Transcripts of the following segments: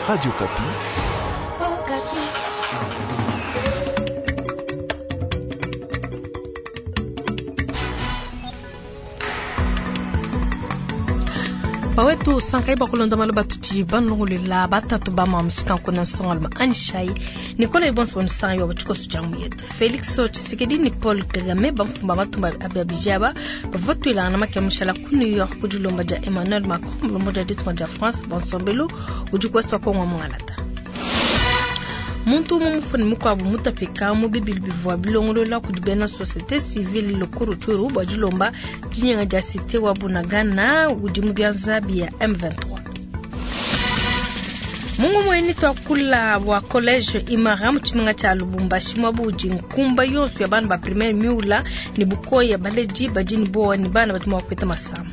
Radio Okapi. Bawetu sankai bakulonda malu batudi banulongolela batatu ba mamu sikankuna nsongaluma anishai nikola ibonso banusangai wa batshikoso tshia yetu Felix Tshisekedi ni Paul Kagame bamfumba matumba ababiji aba bavua batuilangana makia mushala ku New York ku dilomba dia Emmanuel Macron mulombodi wa ditunga dia France bansombelu udi kuesu wa Kongo mungalata. Muntu umue mufue ne mukuabu mutapika mu bibilu bivua bilongolola kudi bena societe civile ku Rutshuru bua dilomba dinyenga dia cite wa Bunagana udi mu bianza bia M23. Mu ngumu eyi tuakula bua college Imara mu tshimenga tshia Lubumbashi muaba udi nkumba yonso ya bana ba primaire miula ne bukoya, baledi badi ne buowa ne bana badi mua kupeta masama.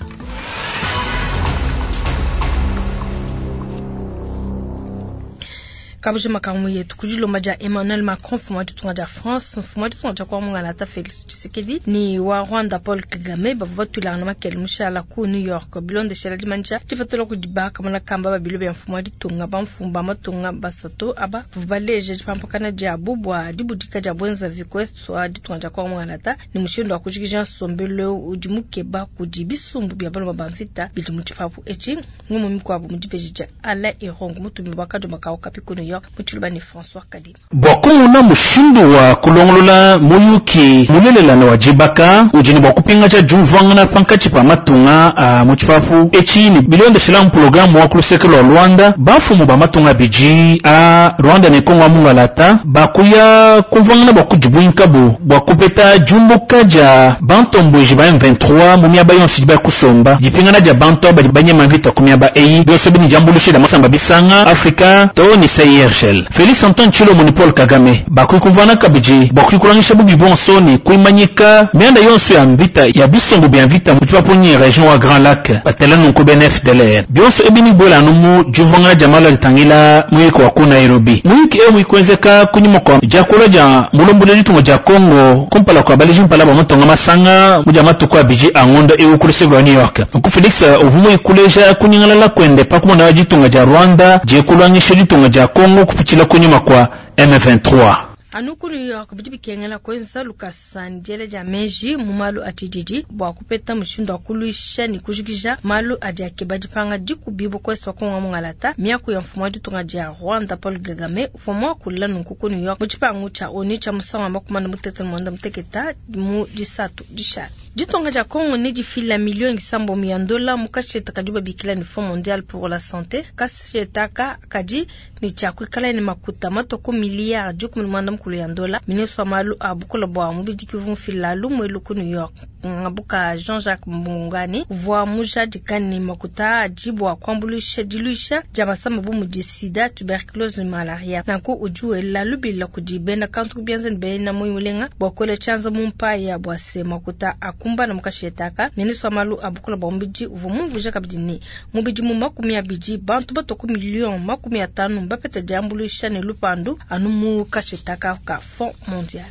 Kabujima ka mu yetu ku dilomba dia Emmanuel Macron mfumu wa ditunga dia France, mfumu wa ditunga dia kwa mungalata Felix Tshisekedi ni wa Rwanda Paul Kagame bavua batuilangana makele mushala ku New York bilondeshela dimanyisha dipatula kudi bakamona kamba ba bilo bia mfumu wa ditunga bamfumu ba matunga basatu aba bavua baleja dipampakana diabu bua dibudika dia bwenzavi ku est wa ditunga dia kwa mungalata ne mushindu wa kujikija nsombelu eu udi mukeba kudi bisumbu bia baluma ba mvita bidi mu tshipapu etshi. Ngumu mikuabu mu dibeji dia Alain Irung mutumi wa kadoma ka Okapi ku New York mu Tshiluba ne François Kadima. Bua kumona mushindu wa kulongolola muyuki mulelela ne wa dibaka udi ne bua kupingaja diumvuangana pankatshi pa matunga a mu tshipapu etshi ne bilondeshila mpologramu wa ku luseke lua Luanda, bamfumu ba matunga abidi aa, Rwanda ne Congo wa Mungalata, bakuya kumvuangana bua kudibuinkabu bua kupeta diumbuka dia bantombueji ba M23 mu miaba yonso idi baya kusomba, dipingana dia bantu aba badi banyema mvita ku miaba eyi, bionso ebi ne diambuluisha dia masamba bisanga Afrika too ne CIRGL. Felix Antoine Tshilombo ne Paul Kagame bakuyi kumvuangana kabidi bua kuikuluangisha bubi buonso ne kuimanyika mianda yonso ya mvita ya bisumbu bia mvita mu tshipapunyi region wa Grands Lacs, batela nunku bena FDLR. Bionso ebi nebibuele anu mu diumvuangana dia malu adi atangila muyiki wa ku Nairobi. Muyiki eu muikuenzeka kunyima kua diakula dia mulombodi wa ditunga dia Congo kumpala kua baleji mpala ba matunga masanga mu dia matuku abidi a ngondo eu ku luseke lua New York. Nunku Felix uvua muikuleja kunyingalala kuende pa kumona ditunga dia Rwanda diekuluangisha ditunga dia Congo kupitshila kunyima kua M23. Anu ku New York, bidi bikengela kuenza lukasa ne diela dia meji mu malu a tshididi bua kupeta mushindu wa kuluisha ne kujikija malu adi akeba dipanga dikubibua ku Est wa Congo wa mungalata. Miaku ya mfumu wa ditunga dia Rwanda Paul Kagame uvua muakula nunku ku New York mu tshipangu tshia ONU tshia musangu wa 68 mu Disatu dishale. Ditunga dia Congo nedifila miliyo isambombo ya ndola mu kasheta kadibu babikila ne Fonds mondial pour la sante. Kasheta aka kadi ne tshia kuikala ne makuta matua ku miliyare 14 ya ndola. Ministre wa malu a bukole bua mubidi ke uvua mufila lumu elu ku New York. Ngabuka Jean-Jacques Mbungani uvua mujadika ne, makuta aa adi bua kuambuluisha diluisha dia masama bu mudi sida, tuberculose ne malaria. Nanku udi wela lubila kudi bena kantu ku bianza ne bena muoyo mulenga bua kuela tshianza mu mpaya bua se, makuta akumbana mu kasheta aka. Ministre wa malu a bukole bua mubidi uvua mumvuije kabidi ne, mu bidimu 20, bantu batua ku miliyo 50 mbapete diambuluisha ne lupandu anu mu kasheta aka ka Fonds mondial.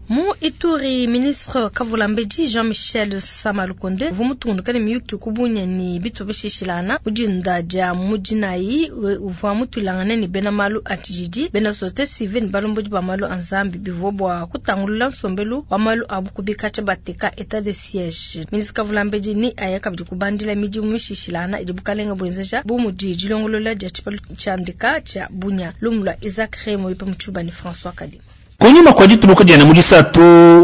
Mu Ituri, ministre Kavulambedi Jean-Michel Samalukonde uvua mutungunuka ne miyuki ku Bunia ne bitupa bishilashilangana mu dinda dia mu dinayi. Uvua mutuilangane ne bena malu a tshididi, bena societe civile ne balombodi ba malu a Nzambi. Bivua bua kutangulula nsombelu wa malu a bukubi katshia bateka etat de siege. Ministre Kavulambedi ne aya kabidi kubandila midimu mishilashilangana idi bukalenga buenzeja bu mudi dilongolola dia tshipalu tshia ndeka tshia Bunia. Lumu lua Isaac Remo pa Mutshuba ne François Kadima. Kunyima kua dituluka diende mu Disatu,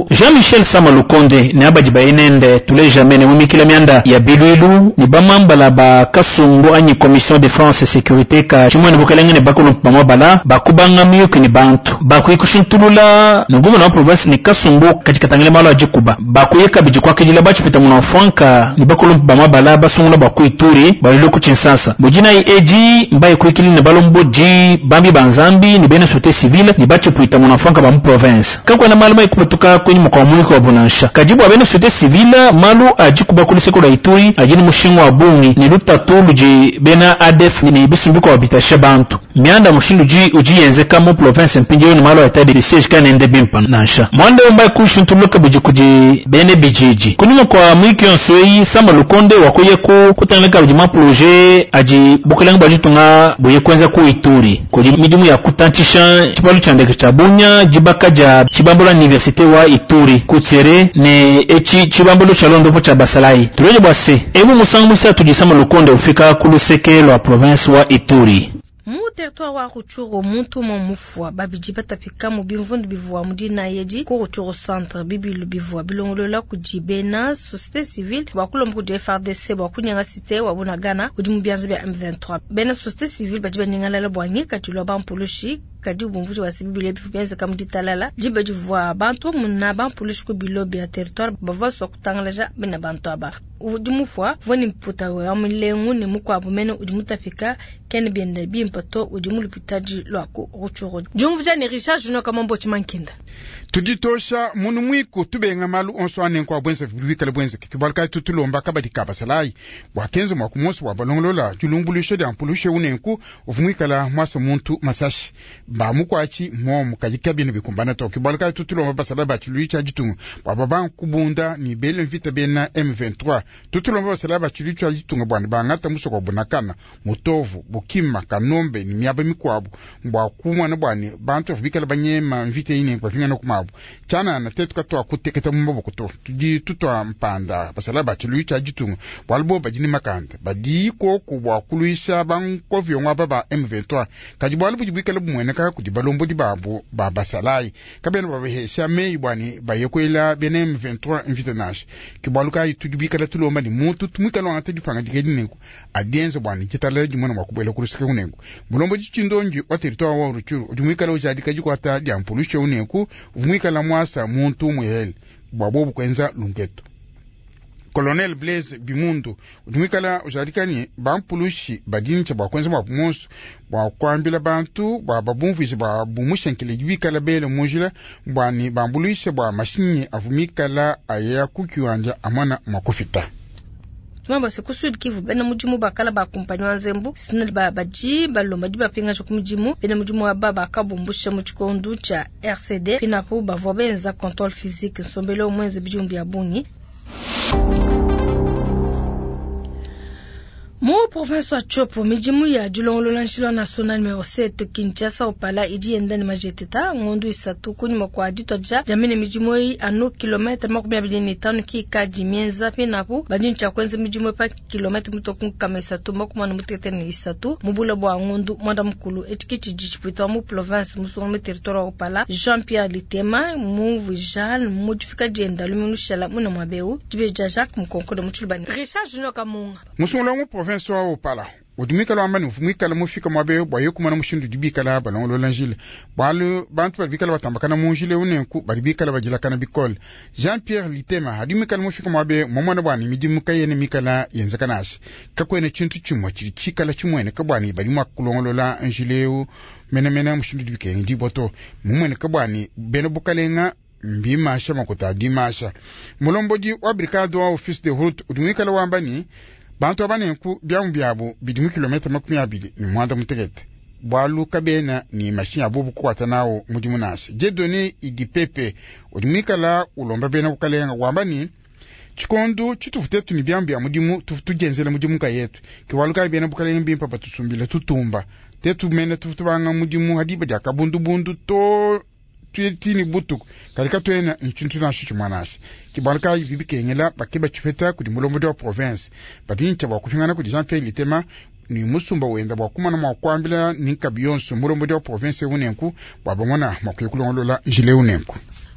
Jean-Michel Sama Lukonde ne abadi baye nende tuleja mene mu mikila mianda ya biluilu ne bamambala ba kasumbu anyi Commission Defense et Securite ka tshimuene bukelenge ne bakulumpe ba mabala bakubanga miyuki ne bantu bakuyi kushintulula ne guvena wa province ne kasumbu kadi katangila malu a dikuba bakuye kabidi kuakidila ba tshipita muna mfuanka ne bakulumpe ba mabala basungula bua ku Ituri balue ku Tshinsasa mu dinayi edi mbaye kuyikila ne balombodi bambi ba Nzambi ne bena societe civile ne ba tshipuita muna mfuanka. ba mu province. Kakuena malu mayi kupatuka kunyima kua muyuki wabu nansha. Kadi bua bena société civile, malu a dikuba ku luseke lua Ituri adi ne mushinga wa bungi ne lutatu ludi bena ADF ne bisumbu bikuabu bitasha bantu. Mianda mushindu udi udi yenzeka mu province mpindieu ne malu a état de siège kaena bimpe nansha. Muanda eu mbaye kushintuluka kabidi kudi bena bididi. Kunyima kua muyuki yonso eyi, Sama Lukonde wakuya ku kutangila kabidi ma projet adi bukalenge bua ditunga buye kuenza ku Ituri. Kudi midimu ya kutantshisha tshibalu tshia ndeke tshia Bunia, dibaka dia tshibambalu université wa Ituri ku Tsere ne etshi tshibambalu tshia londopo tshia basalayi. Tuleje bua se ebu musangu muisatu di Sama Lukonde ufika ku luseke lua province wa Ituri. Mu territoire wa Rutshuru, muntu umue mufua, babidi batapika mu bimvundu bivua mu dinayi edi ku Rutshuru centre. Bibilu bivua bilongolola kudi bena société civile bua kulomba kudi FARDC bua kunyenga cité wa Bunagana udi mu bianza bia M23. Bena société civile badi banyingalala bua ngikadilu wa bampulushi, kadi bumvuija bua se bibilu ebi bienzeka mu ditalala diba divua bantu bamuna bampulushi ku bilo bia territoire bavua basua kutangalaja bena bantu aba. Udi mufua uvua ne mputa wa mulengu ne mukuabu mene udi mutapika kene bienda bimpe to udi mu lupitadi lua ku Rutshuru. Diumvuija ne Richard Junior Kamambo Tshimankinda. Tuditosha munu mwiku tubenga malu onso anenko abwenza bikale bwenzeke kibaluka tutulomba kabadi kabasalayi bwakenza mwa kumonso bwa balongolola dilumbuluisha dia mpulushe unenku uvumwikala mwasa muntu masashi ba mukwachi momu kaji kabine bikumbana to kibaluka tutulomba basalayi bachiluicha ditunga bwa baba kubunda ni bele mvita bena M23 tutulomba basalayi bachiluicha ditunga bwana bangata musoko bunakana mutovu bukima kanombe ni miaba mikwabu bwa kumwana bwane bantu bikala banyema mvita ine bafingana kumabu chana na tetu katwa kuteketa mu maboko to tudi tutwa mpanda basala bachiluicha ditunga bwalbo badini makanda badi koko bwa kuluisha bankovyo ngwa baba M23 kadi bwalu budi bikala bumweneka kudi balombo di babo ba basalai kabena babehesha meyi bwani bayekwela bene M23 mvita nasha kibwalu kai tudi bikala tulomba ni muntu tumwikala wangata dipanga dikedi nenku adienze bwani chitala dimona mwa kubwela kulusika kunenku mulombo chindonji wa territoire wa Rutshuru udi mwikala ujadika jikwata dia mpulushe unenku mwikala mwasa muntu mwehele bwa bobu kwenza lungeto. Colonel Blaise Bimundu udi mwikala ujadika ni bampulushi badini bwa kwenza bwa monso bwa kuambila bantu bwa babumvuije bwa bumushenkele bikala bele mujila bwa ni bambuluishe bwa mashinyi avumikala aya kukiwanja amwana mwakufita. Tumamba se ku Sud Kivu bena mudimu bakala ba kumpanyi wa nzembu sinali ba badi balomba di bapingaja ku mudimu bena mudimu aba bakabumbusha mu tshikondu tshia RCD pinapo bavua benza contrôle physique nsombelo mwenze bidimu bia bungi. Mu province wa Tshopo midimu ya dilongolola nshilo national numero 7 Kinshasa opala idi yenda ne majeteta ngondu isatu kunyuma kwa ditwa dia jamene midimu eyi anu kilometre 25 ki kadi mienza pinapo badi ntshia kwenza midimu pa kilometre mutoku nkama isatu makumi mutekete ne isatu mubula bua ngondu mwanda mukulu etiki tshidi tshipita mu province musunga mu territoire wa Opala Jean-Pierre Litema mumvuija mudifika dienda luminushala muna mwabeu dibeja Jacques Mukonkole mutshilubani Richard Junior Kamunga musungula mu province wa Opala udi mwikala wamba ni mwikala mufika mwabe bwa yekumana mushindu dibikala balongolola njila bwalu bantu bali bikala batambakana mu njila unenku bali bikala badilakana bikole. Jean Pierre Litema hadi mwikala mufika mwabe momwana bwani midimu kayene mikala yenzekana asha kakwene chintu chimwe chili chikala chimwene kabwani bali mwa kulongolola njila eu menemene mushindu dibikene diboto mumwene kabwani bene bukalenga mbimasha makuta dimasha mulombodi wa brigade wa office de route udi mwikala wamba ni bantu abanenku byamu byabo bidi mu kilomita 25 bwalu kabena ni mashinyi abo bukukwata nawo mudimu nasha jedone idi pepe udi mwikala ulomba bena kukalenga wamba ni tshikondu tshitufu tetu ni byamu bya mudimu tufu tujenzela mudimu kayetu kiwalu kayi bena bukalenga bimpa batusumbila tutumba tetu mene tufu tubanga mudimu hadiba dia kabundubundu to tuyetini butuku kalika twena nchintu nasho chimwanasha kibaluka bibikengela bakeba chipeta kudi mulombodi wa province badincha bwa kufingana kudi Jean Pierre Litema ni musumba wenda bwa kumana mwa kuambila ni nkabi yonso mulombodi wa province unenku bwa bamona mwa kuyekulongolola njile unenku.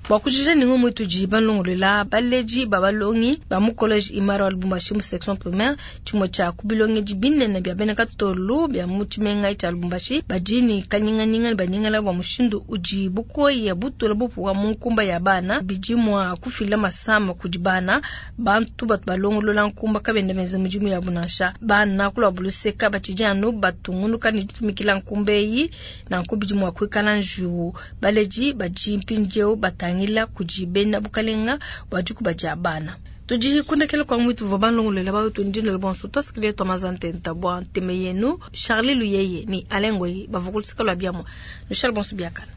Bua kujikija ne ngumu itudi balongolola, baledi ba balongi ba mu college Imara wa Lubumbashi mu section primaire, tshimue tshia ku bilongedi binene bia bena Katolu bia mu tshimenga tshia Lubumbashi, badi ne kanyinganyinga ne banyingala bua mushindu udi bukoya butula bupuwa mu nkumba ya bana, bidi mua kufila masama kudi bana. Bantu batu balongolola nkumba kabena benza midimu yabu nansha. Bana ku luabu luseka batshidi anu batungunuka ne ditumikila nkumba eyi, nanku bidi mua kuikala njiwu. Baledi badi mpindieu batangila kudi bena bukalenga bua dikuba dia bana. Tudi kundekela kua muitu vua balongolola bawetu ndinda bonso tuasakidia tua mazantenta bua nteme yenu Charlie Luyeye ni Alain Ngoyi bavua ku luseke lua biamua. Nushale bonso biakana.